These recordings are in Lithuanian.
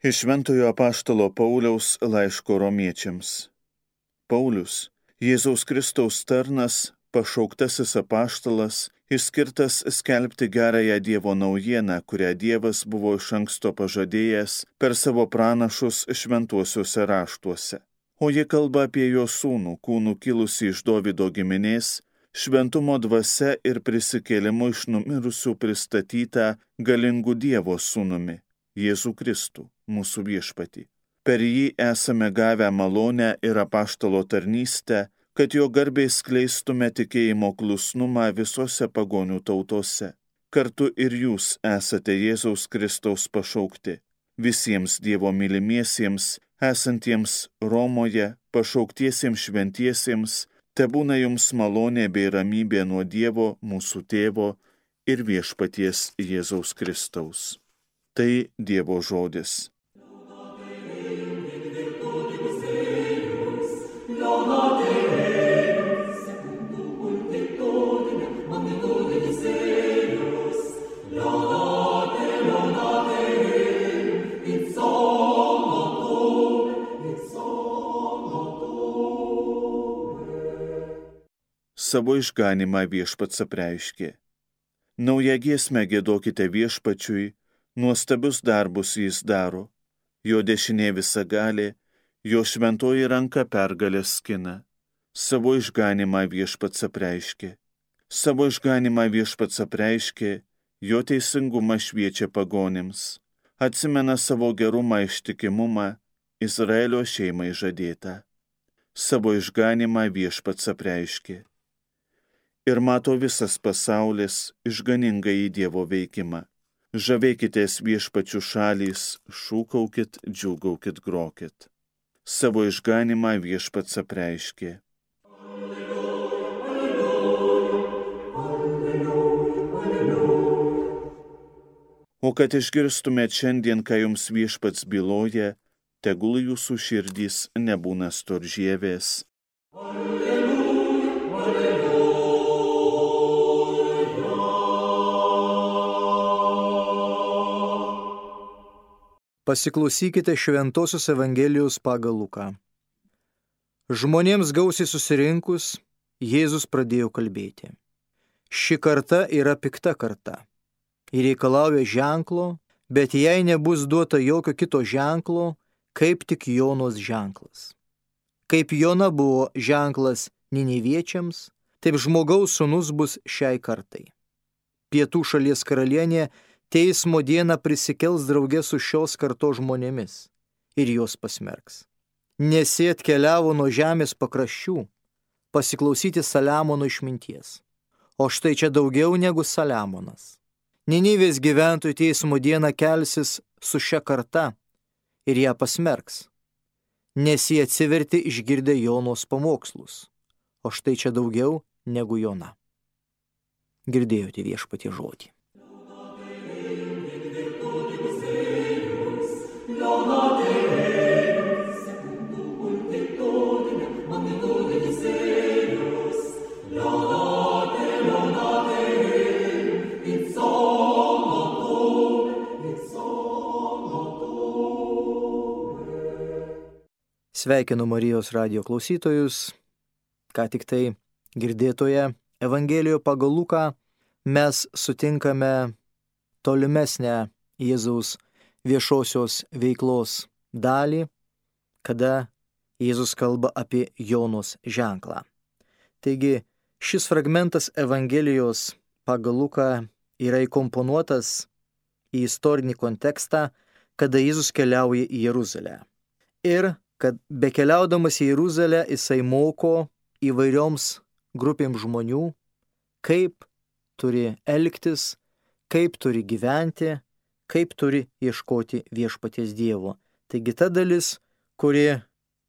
Iš Šventojo apaštalo Pauliaus laiško romiečiams. Paulius, Jėzaus Kristaus tarnas, pašauktasis apaštalas, išskirtas skelbti gerąją Dievo naujieną, kurią Dievas buvo iš anksto pažadėjęs per savo pranašus šventuosiuose raštuose. O ji kalba apie jo sūnų, kūnų kilusį iš Dovydo giminės, šventumo dvasia ir prisikėlimu iš numirusių pristatytą galingų Dievo sūnumi, Jėzų Kristų, mūsų viešpatį. Per jį esame gavę malonę ir apaštalo tarnystę, kad jo garbei skleistume tikėjimo klusnumą visose pagonių tautose. Kartu ir jūs esate Jėzaus Kristaus pašaukti. Visiems Dievo mylimiesiems, esantiems Romoje, pašauktiesiems šventiesiems, tebūna jums malonė bei ramybė nuo Dievo, mūsų tėvo ir viešpaties Jėzaus Kristaus. Tai Dievo žodis. Savo išganimą viešpats apreiškė. Naują giesmę giedokite viešpačiui, nuostabius darbus jis daro. Jo dešinė visagalė, jo šventoji ranka pergalės skina. Savo išganimą viešpats apreiškė. Savo išganimą viešpats apreiškė, jo teisingumą šviečia pagonims. Atsimena savo gerumą ištikimumą, Izraelio šeimai žadėtą. Savo išganimą viešpats apreiškė. Ir mato visas pasaulis išganingąjį Dievo veikimą. Žavėkitės viešpačių šalys, šūkaukit, džiūgaukit, grokit. Savo išganimą viešpats apreiškė. O kad išgirstumėt šiandien, ką jums viešpats byloja, tegul jūsų širdys nebūna storžievės. Pasiklausykite Šventosios Evangelijos pagal Luką. Žmonėms gausiai susirinkus, Jėzus pradėjo kalbėti. Ši karta yra pikta karta ir reikalauja ženklo, bet jai nebus duota jokio kito ženklo, kaip tik Jonos ženklas. Kaip Jona buvo ženklas Niniviečiams, taip žmogaus sūnus bus šiai kartai. Pietų šalies karalienė teismo dieną prisikels draugė su šios kartos žmonėmis ir juos pasmerks. Nes jie atkeliavo nuo žemės pakraščių pasiklausyti Saliamono išminties. O štai čia daugiau negu Saliamonas. Ninivės gyventojų teismo dieną kelsis su šia karta ir ją pasmerks, nes jie atsivertė išgirdę Jonos pamokslus. O štai čia daugiau negu Jona. Girdėjote viešpatie žodį. Sveikinu Marijos radijo klausytojus. Ką tik tai girdėtoje Evangelijoje pagal Luką mes sutinkame tolimesnę Jėzaus viešosios veiklos dalį, kada Jėzus kalba apie Jonos ženklą. Taigi šis fragmentas Evangelijos pagal Luką yra įkomponuotas į istorinį kontekstą, kada Jėzus keliauja į Jeruzalę. Ir kad bekeliaudamas į Jeruzalę jisai moko įvairioms grupėms žmonių, kaip turi elgtis, kaip turi gyventi, kaip turi ieškoti viešpaties Dievo. Taigi ta dalis, kuri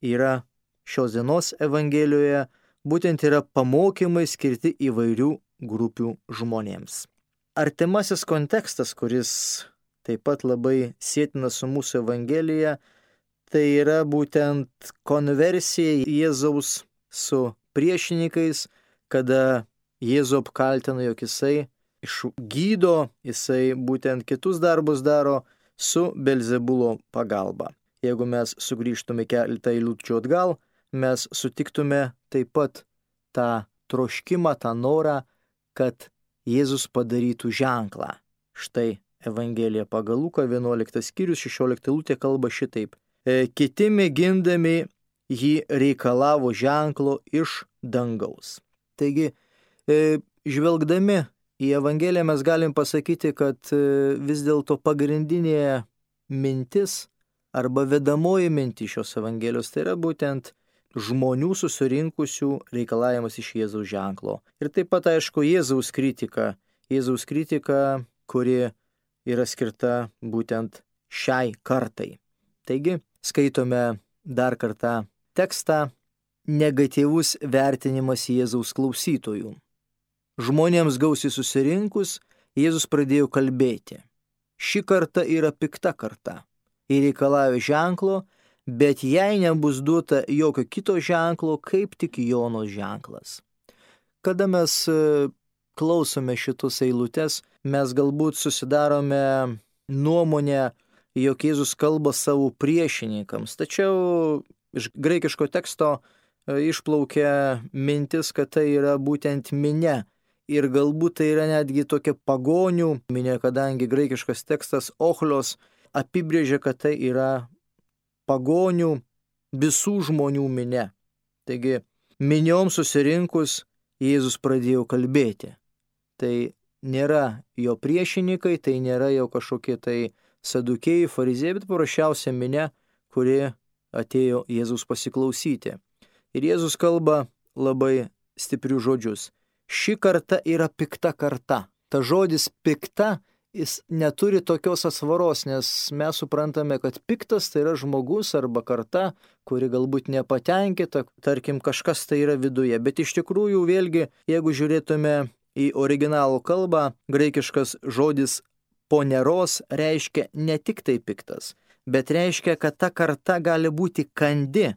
yra šios dienos Evangelijoje, būtent yra pamokymai skirti įvairių grupių žmonėms. Artimasis kontekstas, kuris taip pat labai sėtinas su mūsų Evangelija, tai yra būtent konversija Jėzaus su priešininkais, kada Jėzų apkaltina, jog jisai išgydo, jisai būtent kitus darbus daro su Belzebulo pagalba. Jeigu mes sugrįžtume keletą eilučių atgal, mes sutiktume taip pat tą troškimą, tą norą, kad Jėzus padarytų ženklą. Štai Evangelija pagal Luką 11 skyrius 16 eilutė kalba šitaip. Kiti mėgindami jį reikalavo ženklo iš dangaus. Taigi, žvelgdami į Evangeliją mes galim pasakyti, kad vis dėlto pagrindinė mintis arba vedamoji mintis šios Evangelijos tai yra būtent žmonių susirinkusių reikalavimas iš Jėzaus ženklo. Ir taip pat, aišku, Jėzaus kritika, kuri yra skirta būtent šiai kartai. Taigi, skaitome dar kartą tekstą negatyvus vertinimas Jėzaus klausytojų. Žmonėms gausiai susirinkus, Jėzus pradėjo kalbėti. Ši karta yra pikta karta. Jie reikalauja ženklo, bet jai nebus duota jokio kito ženklo, kaip tik Jonos ženklas. Kada mes klausome šitus eilutes, mes galbūt susidarome nuomonę, jog Jėzus kalba savo priešininkams. Tačiau iš graikiško teksto išplaukia mintis, kad tai yra būtent minia. Ir galbūt tai yra netgi tokia pagonių minia, kadangi graikiškas tekstas ochlios apibrėžia, kad tai yra pagonių visų žmonių minia. Taigi, minioms susirinkus Jėzus pradėjo kalbėti. Tai nėra jo priešininkai, tai nėra jo kažkokie tai sadukėjai, farizėjai, bet paprasčiausia minia, kuri atėjo Jėzus pasiklausyti. Ir Jėzus kalba labai stiprius žodžius. Ši karta yra pikta karta. Ta žodis pikta, jis neturi tokios atsvaros, nes mes suprantame, kad piktas tai yra žmogus arba karta, kuri galbūt nepatenkinta, tarkim, kažkas tai yra viduje. Bet iš tikrųjų, vėlgi, jeigu žiūrėtume į originalų kalbą, graikiškas žodis poneros reiškia ne tik tai piktas, bet reiškia, kad ta karta gali būti kandi,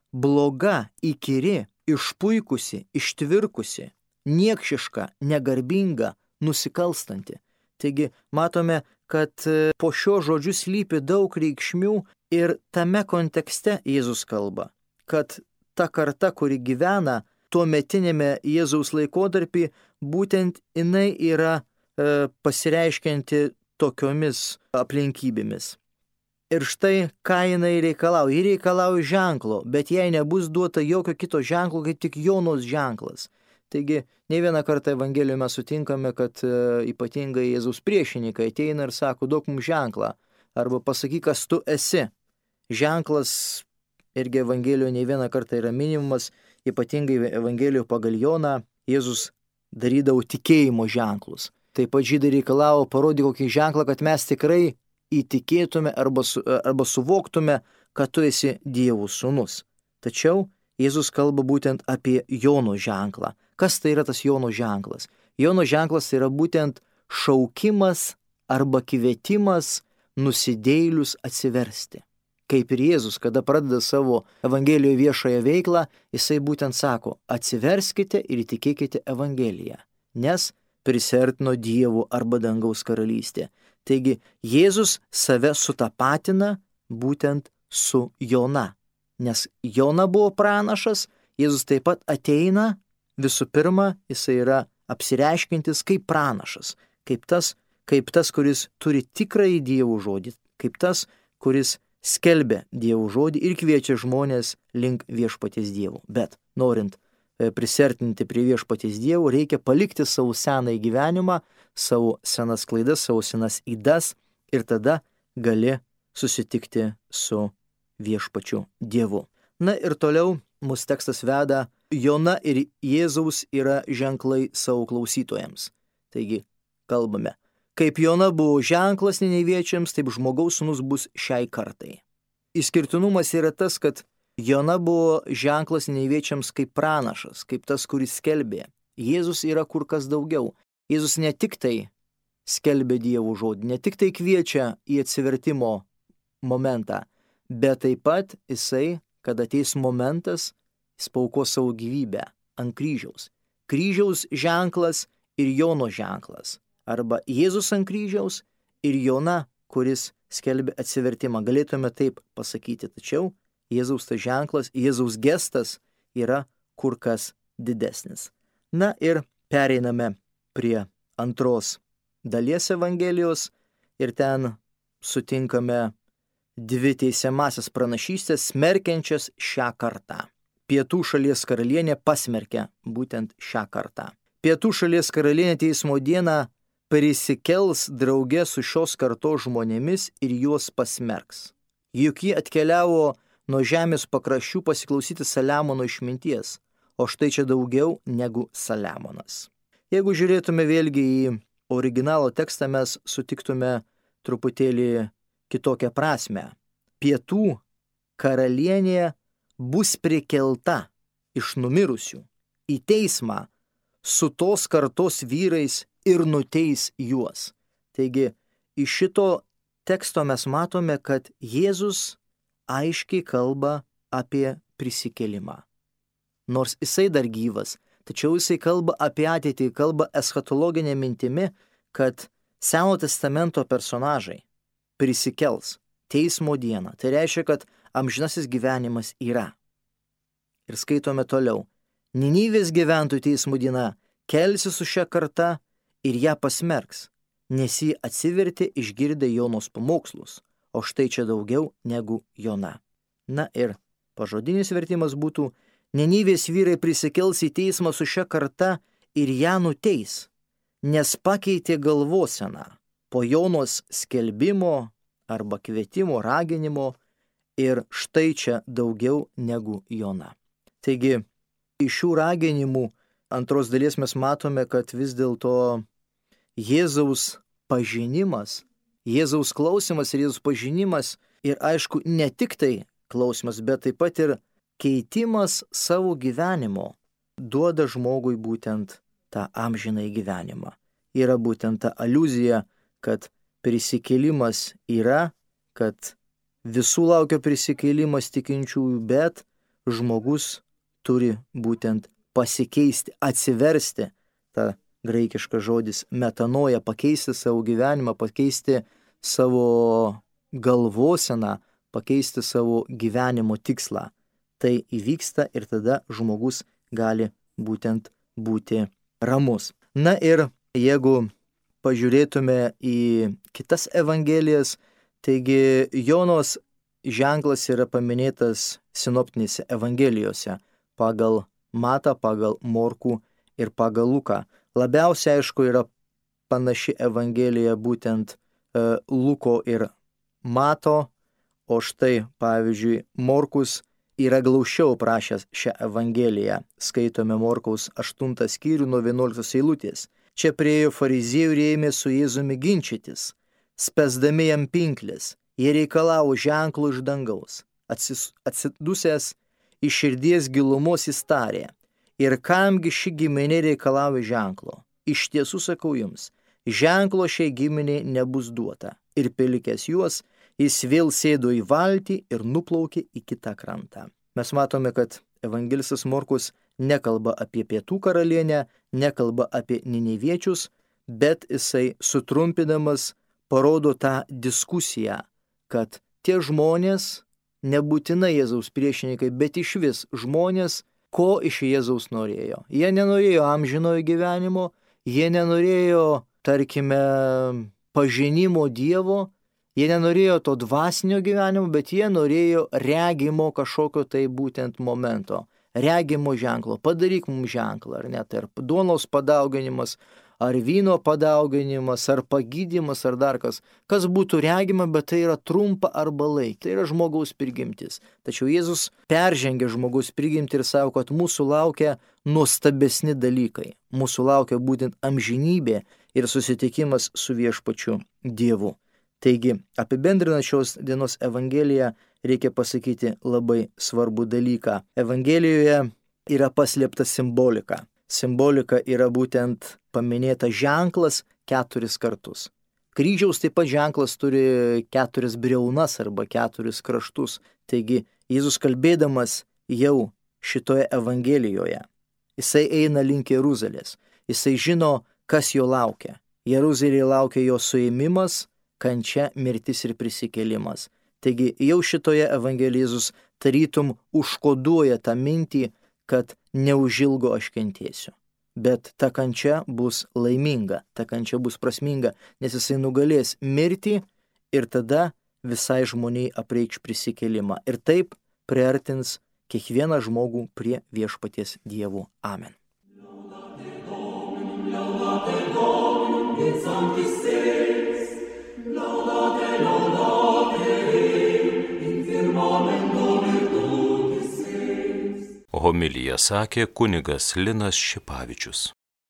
bloga, įkyri, išpuikusi, ištvirkusi, niekšiška, negarbinga, nusikalstanti. Taigi matome, kad po šio žodžiu slypi daug reikšmių ir tame kontekste Jėzus kalba, kad ta karta, kuri gyvena tuometinėme Jėzaus laikotarpį, būtent jinai yra pasireiškianti tokiomis aplinkybėmis. Ir štai, ką jinai reikalauja. Ji reikalauja ženklo, bet jai nebus duota jokio kito ženklo, kaip tik Jonos ženklas. Taigi, ne vieną kartą Evangelijoje mes sutinkame, kad ypatingai Jėzaus priešininkai ateina ir sako, duok mums ženklą, arba pasakyk, kas tu esi. Ženklas irgi Evangelijoje ne vieną kartą yra minimumas, ypatingai Evangelijoje pagal Joną Jėzus darydavo tikėjimo ženklus. Taip pat žydai reikalavo parodyti kokį ženklą, kad mes tikrai įtikėtume arba suvoktume, kad tu esi Dievo sūnus. Tačiau Jėzus kalba būtent apie Jono ženklą. Kas tai yra tas Jono ženklas? Jono ženklas tai yra būtent šaukimas arba kvietimas nusidėjėlius atsiversti. Kaip ir Jėzus, kada pradeda savo Evangelijoje viešąją veiklą, jisai būtent sako, atsiverskite ir įtikėkite Evangeliją, nes prisiartino Dievo arba dangaus karalystė. Taigi Jėzus save sutapatina būtent su Jona. Nes Jona buvo pranašas, Jėzus taip pat ateina, visų pirma, jisai yra apsireiškintis kaip pranašas, kaip tas, kuris turi tikrąjį Dievo žodį, kaip tas, kuris skelbia Dievo žodį ir kviečia žmonės link viešpaties Dievo. Bet norint prisertinti prie viešpaties Dievo, reikia palikti savo senąjį gyvenimą, savo senas klaidas, savo senas ydas ir tada gali susitikti su viešpačiu Dievu. Na ir toliau mūsų tekstas veda, Jona ir Jėzaus yra ženklai savo klausytojams. Taigi, kalbame, kaip Jona buvo ženklas nineviečiams, taip žmogaus sūnus bus šiai kartai. Išskirtinumas yra tas, kad Jona buvo ženklas nineviečiams kaip pranašas, kaip tas, kuris skelbė. Jėzus yra kur kas daugiau. Jėzus ne tik tai skelbia Dievo žodį, ne tik tai kviečia į atsivertimo momentą, bet taip pat jisai, kad ateis momentas, jis pauko savo gyvybę ant kryžiaus. Kryžiaus ženklas ir Jono ženklas. Arba Jėzus ant kryžiaus ir Jona kuris skelbia atsivertimą. Galėtume taip pasakyti, tačiau Jėzaus tas ženklas, Jėzaus gestas yra kur kas didesnis. Na ir pereiname prie antros dalies Evangelijos ir ten sutinkame dvi teisiamasias pranašystės smerkiančias šią kartą. Pietų šalies karalienė pasmerkia būtent šią kartą. Pietų šalies karalienė teismo dieną prisikels drauge su šios kartos žmonėmis ir juos pasmerks. Juk ji atkeliavo nuo žemės pakraščių pasiklausyti Saliamono išminties, o štai čia daugiau negu Saliamonas. Jeigu žiūrėtume vėlgi į originalo tekstą, mes sutiktume truputėlį kitokią prasme. Pietų karalienė bus prikelta iš numirusių į teismą su tos kartos vyrais ir nuteis juos. Taigi, iš šito teksto mes matome, kad Jėzus aiškiai kalba apie prisikėlimą. Nors jisai dar gyvas, tačiau jisai kalba apie ateitį, kalba eschatologinė mintimi, kad Senojo testamento personažai prisikels teismo dieną. Tai reiškia, kad amžinasis gyvenimas yra. Ir skaitome toliau. Ninivės gyventojų teismo diena kelsi su šia karta ir ją pasmerks, nes jį atsivertė išgirdę Jonos pamokslus, o štai čia daugiau negu Jona. Na ir pažodinis vertimas būtų: Ninivės vyrai prisikels į teismą su šia karta ir ją nuteis, nes pakeitė galvoseną po Jonos skelbimo arba kvietimo, raginimo, ir štai čia daugiau negu Jona. Taigi, iš šių raginimų antros dalies mes matome, kad vis dėlto Jėzaus pažinimas, Jėzaus klausimas ir Jėzaus pažinimas ir aišku ne tik tai klausimas, bet taip pat ir keitimas savo gyvenimo duoda žmogui būtent tą amžinąjį gyvenimą. Yra būtent ta aliuzija, kad prisikėlimas yra, kad visų laukia prisikėlimas tikinčiųjų, bet žmogus turi būtent pasikeisti, atsiversti, ta graikiškas žodis metanoja, pakeisti savo gyvenimą, pakeisti savo galvoseną, pakeisti savo gyvenimo tikslą. Tai įvyksta ir tada žmogus gali būtent būti ramus. Na ir jeigu pažiūrėtume į kitas evangelijas, taigi Jonos ženklas yra paminėtas sinoptinėse evangelijose pagal Matą, pagal Morkų ir pagal Luką. Labiausiai aišku yra panaši evangelija būtent Luko ir Mato, o štai pavyzdžiui Morkus yra glaušiau prašęs šią evangeliją. Skaitome Morkaus 8 skyrių nuo 11 eilutės. Čia priėjo fariziejų ir ėmė su Jėzumi ginčytis, spęsdami jam pinkles. Jie reikalavo ženklų iš dangaus. Atsidusęs iš širdies gilumos jis tarė: ir kamgi ši giminė reikalauja ženklo? Iš tiesų sakau jums, ženklo šiai giminiai nebus duota. Ir palikęs juos, jis vėl sėdo į valtį ir nuplaukė į kitą krantą. Mes matome, kad evangelistas Morkus nekalba apie pietų karalienę, nekalba apie niniviečius, bet jisai sutrumpinamas parodo tą diskusiją, kad tie žmonės nebūtinai Jėzaus priešininkai, bet išvis žmonės, ko iš Jėzaus norėjo. Jie nenorėjo amžinojo gyvenimo, jie nenorėjo, tarkime, pažinimo Dievo, jie nenorėjo to dvasinio gyvenimo, bet jie norėjo regimo kažkokio tai būtent momento, regimo ženklo. Padaryk mums ženklą, ar net ar duonos padauginimas, ar vyno padauginimas, ar pagydymas, ar dar kas būtų regima, bet tai yra trumpa arba laik, tai yra žmogaus prigimtis. Tačiau Jėzus peržengia žmogaus prigimtį ir sako, kad mūsų laukia nuostabesni dalykai. Mūsų laukia būtent amžinybė ir susitikimas su viešpačiu Dievu. Taigi, apibendrinant šios dienos Evangeliją, reikia pasakyti labai svarbų dalyką. Evangelijoje yra paslėpta simbolika. Simbolika yra būtent paminėta ženklas 4 kartus. Kryžiaus taip pat ženklas turi 4 briaunas arba 4 kraštus. Taigi Jėzus kalbėdamas jau šitoje Evangelijoje, jisai eina link Jeruzalės. Jisai žino, kas jo laukia. Jeruzalėje laukia jo suėmimas, kančia, mirtis ir prisikėlimas. Taigi jau šitoje Evangelijoje Jėzus tarytum užkoduoja tą mintį, kad neužilgo aš kentėsiu. Bet ta kančia bus laiminga, ta kančia bus prasminga, nes jisai nugalės mirtį ir tada visai žmoniai apreikš prisikėlimą. Ir taip priartins kiekvieną žmogų prie viešpaties Dievo. Amen. Homiliją sakė kunigas Linas Šipavičius.